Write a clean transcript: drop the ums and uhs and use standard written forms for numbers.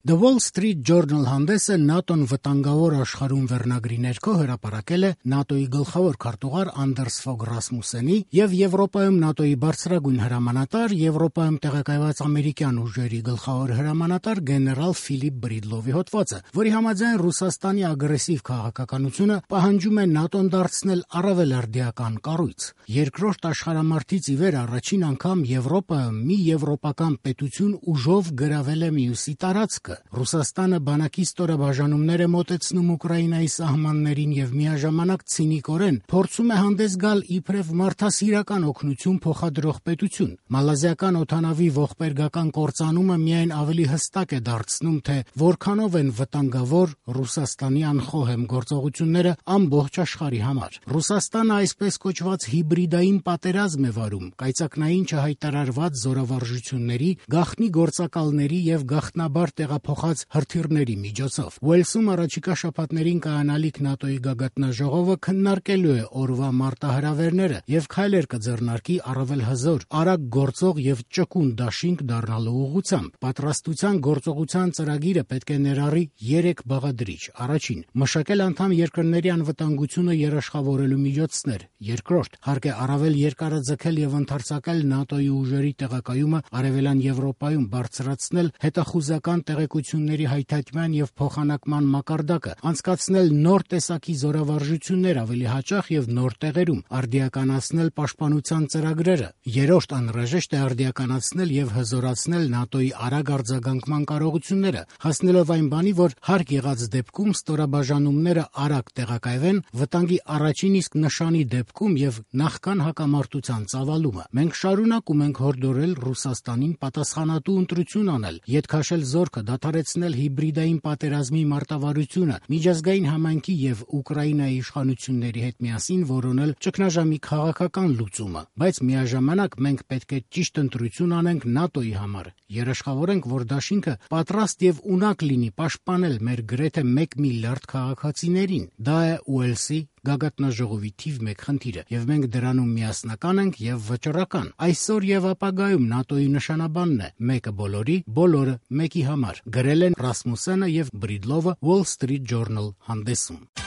The Wall Street Journal հանդեսը ՆԱՏՕ-ն վտանգավոր աշխարհում վերնագրի ներքո հրապարակել է ՆԱՏՕ-ի գլխավոր քարտուղար Անդերս Ֆոգ Ռասմուսենի եւ Եվրոպայում ՆԱՏՕ-ի բարձրագույն հրամանատար, Եվրոպայում տեղակայված ամերիկյան ուժերի գլխավոր հրամանատար գեներալ Ֆիլիպ Բրիդլովի հոդվածը, որի համաձայն Ռուսաստանի ագրեսիվ քաղաքականությունը պահանջում է ՆԱՏՕ-ն դարձնել առավել արդիական կառույց։ Երկրորդ աշխարհամարտից ի վեր առաջին անգամ Եվրոպայում մի եվրոպական պետություն ուժով գրավել է մյուսի տարածքը։ Ռուսաստանը բանակի ստորաբաժանումներ է մոտեցնում Ուկրաինայի սահմաններին եւ միաժամանակ ցինիկորեն փորձում է հանդես գալ իբրև մարդասիրական օգնություն փոխադրող պետություն։ Մալազիական օդանավի ողբերգական կործանումը միայն ավելի հստակ է դարձնում, թե որքանով են վտանգավոր Ռուսաստանի անխոհեմ գործողությունները ամբողջ աշխարհի համար։ Ռուսաստանը այսպես կոչված հիբրիդային պատերազմ է վարում կայծակնային չհայտարարված զորավարժությունների, գաղտնի գործակալների եւ գաղտնաբար փոխած հրթիռների միջոցով։ Ուելսում առաջիկա շաբաթներին կայանալիք ՆԱՏՕ-ի գագաթնաժողովը քննարկելու է օրվա մարտահրավերները եւ քայլեր կձեռնարկի առավել հզոր, արագ գործող եւ ճկուն դաշինք դառնալու ուղղությամբ։ Պատրաստության գործողության ծրագիրը պետք է ներառի 3 բաղադրիչ. առաջին, մշակել անդամ երկրների անվտանգությունը երաշխավորելու միջոցներ. երկրորդ, հարկ է առավել երկարաձգել եւ ընդարձակել ՆԱՏՕ-ի ուժերի տեղակայումը Արևելյան Եվրոպայում, բարձրացնել հետախուզական տեղեկությունների հայթայթման եւ փոխանակման մակարդակը, անցկացնել նոր տեսակի զորավարժություններ ավելի հաճախ եւ նոր տեղերում, արդիականացնել պաշտպանության ծրագրերը։ Երրորդ, անհրաժեշտ է արդիականացնել եւ հզորացնել ՆԱՏՕ-ի արագ արձագանքման կարողությունները, հասնելով այն բանի, որ հարկ եղած դեպքում ստորաբաժանումները արագ տեղակայվեն վտանգի առաջին իսկ նշանի դեպքում եւ նախքան հակամարտության ծավալումը։ Մենք շարունակում ենք հորդորել Ռուսաստանին պատասխանատու ընտրություն անել, ետ քաշել զորքը, դադարեցնել հիբրիդային պատերազմի մարտավարությունը, միջազգային համայնքի եւ Ուկրաինայի իշխանությունների հետ միասին որոնել ճգնաժամի քաղաքական լուծումը, բայց միաժամանակ մենք պետք է ճիշտ ընտրություն անենք ՆԱՏՕ-ի համար, երաշխավորենք, որ դաշինքը պատրաստ եւ ունակ լինի պաշտպանել մեր գրեթե 1 միլիարդ քաղաքացիներին։ Դա է Ուելսի գագաթնաժողովի թիվ 1 խնդիրը, եւ մենք դրանում միասնական ենք եւ վճռական։ Այսօր եւ ապագայում ՆԱՏՕ-ի նշանաբանն է՝ մեկը բոլորի, բոլորը մեկի համար, գրել են Ռասմուսենը եւ Բրիդլովը Wall Street Journal հանդեսում։